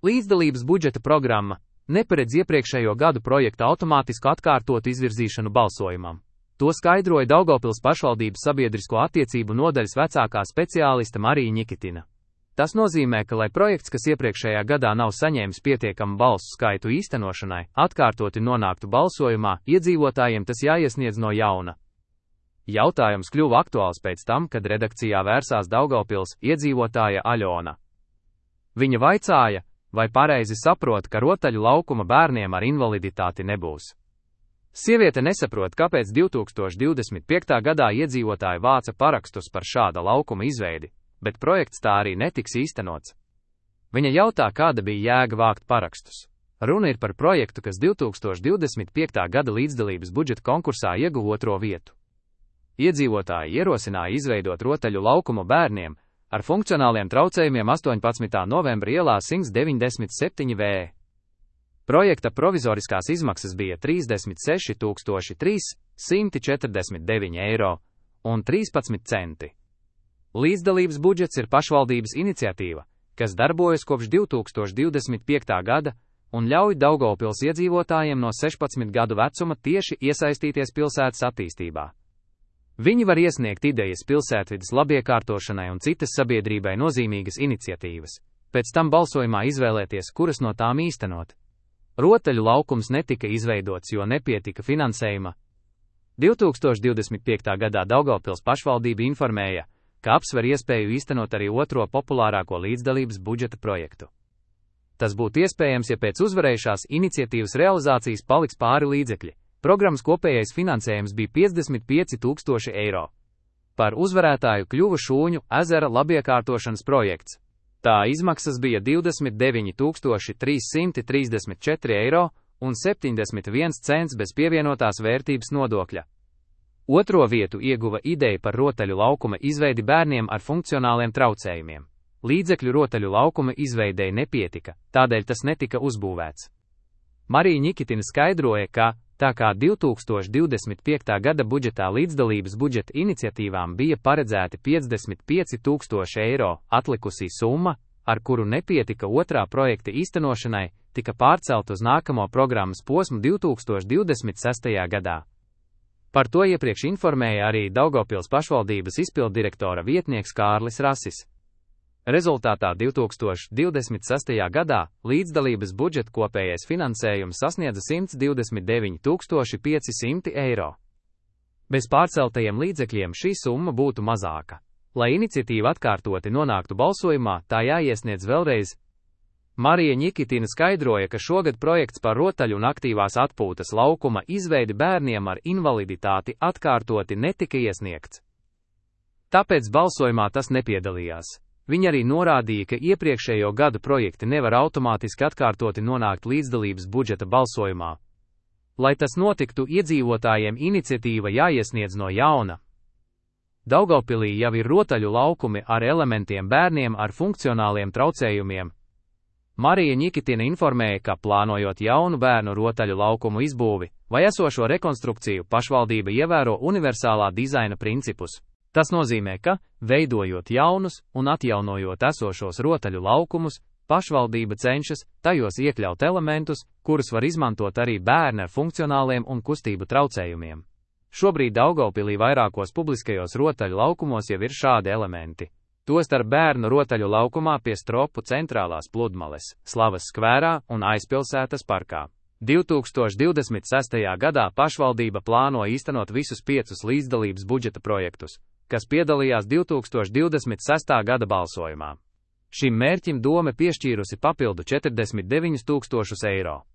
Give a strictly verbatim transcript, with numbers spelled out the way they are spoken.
Līdzdalības budžeta programma neparedz iepriekšējo gadu projekta automātisku atkārtotu izvirzīšanu balsojumam. To skaidroja Daugavpils pašvaldības sabiedrisko attiecību nodaļas vecākā speciāliste Marija Ņikitina. Tas nozīmē, ka, lai projekts, kas iepriekšējā gadā nav saņēmis pietiekamu balsu skaitu īstenošanai, atkārtoti nonāktu balsojumā, iedzīvotājiem tas jāiesniedz no jauna. Jautājums kļuva aktuāls pēc tam, kad redakcijā vērsās Daugavpils iedzīvotāja Aļona. Viņa vaicāja, vai pareizi saprot, ka rotaļu laukuma bērniem ar invaliditāti nebūs. Sieviete nesaprot, kāpēc divi tūkstoši divdesmit piektajā gadā iedzīvotāji vāca parakstus par šāda laukuma izveidi, bet projekts tā arī netiks īstenots. Viņa jautā, kāda bija jēga vākt parakstus. Runa ir par projektu, kas divi tūkstoši divdesmit piektajā gada līdzdalības budžeta konkursā ieguva otro vietu. Iedzīvotāji ierosināja izveidot rotaļu laukumu bērniem ar funkcionāliem traucējumiem astoņpadsmitā novembra ielā simts deviņdesmit septiņi V. Projekta provizoriskās izmaksas bija trīsdesmit seši tūkstoši trīssimti četrdesmit deviņi eiro un trīspadsmit centi. Līdzdalības budžets ir pašvaldības iniciatīva, kas darbojas kopš divi tūkstoši divdesmit piektā gada un ļauj Daugavpils iedzīvotājiem no sešpadsmit gadu vecuma tieši iesaistīties pilsētas attīstībā. Viņi var iesniegt idejas pilsētvides labiekārtošanai un citas sabiedrībai nozīmīgas iniciatīvas, pēc tam balsojumā izvēlēties, kuras no tām īstenot. Rotaļu laukums netika izveidots, jo nepietika finansējuma. divi tūkstoši divdesmit piektā gadā Daugavpils pašvaldība informēja, ka apsver iespēju īstenot arī otro populārāko līdzdalības budžeta projektu. Tas būtu iespējams, ja pēc uzvarējušās iniciatīvas realizācijas paliks pāri līdzekļi. Programmas kopējais finansējums bija piecdesmit pieci tūkstoši eiro. Par uzvarētāju kļuva Šūņu ezera labiekārtošanas projekts. Tā izmaksas bija divdesmit deviņi tūkstoši trīssimti trīsdesmit četri eiro un septiņdesmit viens cents bez pievienotās vērtības nodokļa. Otro vietu ieguva ideja par rotaļu laukuma izveidi bērniem ar funkcionāliem traucējumiem. Līdzekļu rotaļu laukuma izveidei nepietika, tādēļ tas netika uzbūvēts. Marija Ņikitina skaidroja, ka tā kā divi tūkstoši divdesmit piektā gada budžetā līdzdalības budžeta iniciatīvām bija paredzēti piecdesmit pieci tūkstoši eiro, atlikusī summa, ar kuru nepietika otrā projekta īstenošanai, tika pārcelt uz nākamo programmas posmu divi tūkstoši divdesmit sestajā gadā. Par to iepriekš informēja arī Daugavpils pašvaldības izpilddirektora vietnieks Kārlis Rasis. Rezultātā divi tūkstoši divdesmit sestajā gadā līdzdalības budžeta kopējais finansējums sasniedza simts divdesmit deviņi tūkstoši pieci simti eiro. Bez pārceltajiem līdzekļiem šī summa būtu mazāka. Lai iniciatīva atkārtoti nonāktu balsojumā, tā jāiesniedz vēlreiz. Marija Ņikitina skaidroja, ka šogad projekts par rotaļu un aktīvās atpūtas laukuma izveidi bērniem ar invaliditāti atkārtoti netika iesniegts. Tāpēc balsojumā tas nepiedalījās. Viņa arī norādīja, ka iepriekšējo gadu projekti nevar automātiski atkārtoti nonākt līdzdalības budžeta balsojumā. Lai tas notiktu, iedzīvotājiem iniciatīva jāiesniedz no jauna. Daugavpilī jau ir rotaļu laukumi ar elementiem bērniem ar funkcionāliem traucējumiem. Marija Ņikitina informēja, ka plānojot jaunu bērnu rotaļu laukumu izbūvi vai esošo rekonstrukciju, pašvaldība ievēro universālā dizaina principus. Tas nozīmē, ka, veidojot jaunus un atjaunojot esošos rotaļu laukumus, pašvaldība cenšas tajos iekļaut elementus, kurus var izmantot arī bērni ar funkcionāliem un kustību traucējumiem. Šobrīd Daugavpilī vairākos publiskajos rotaļu laukumos jau ir šādi elementi. Tostarp bērnu rotaļu laukumā pie Stropu centrālās pludmales, Slavas skvērā un Aizpilsētas parkā. divi tūkstoši divdesmit sestajā gadā pašvaldība plāno īstenot visus piecus līdzdalības budžeta projektus, kas piedalījās divi tūkstoši divdesmit sestā gada balsojumā. Šim mērķim dome piešķīrusi papildu četrdesmit deviņus tūkstošus eiro.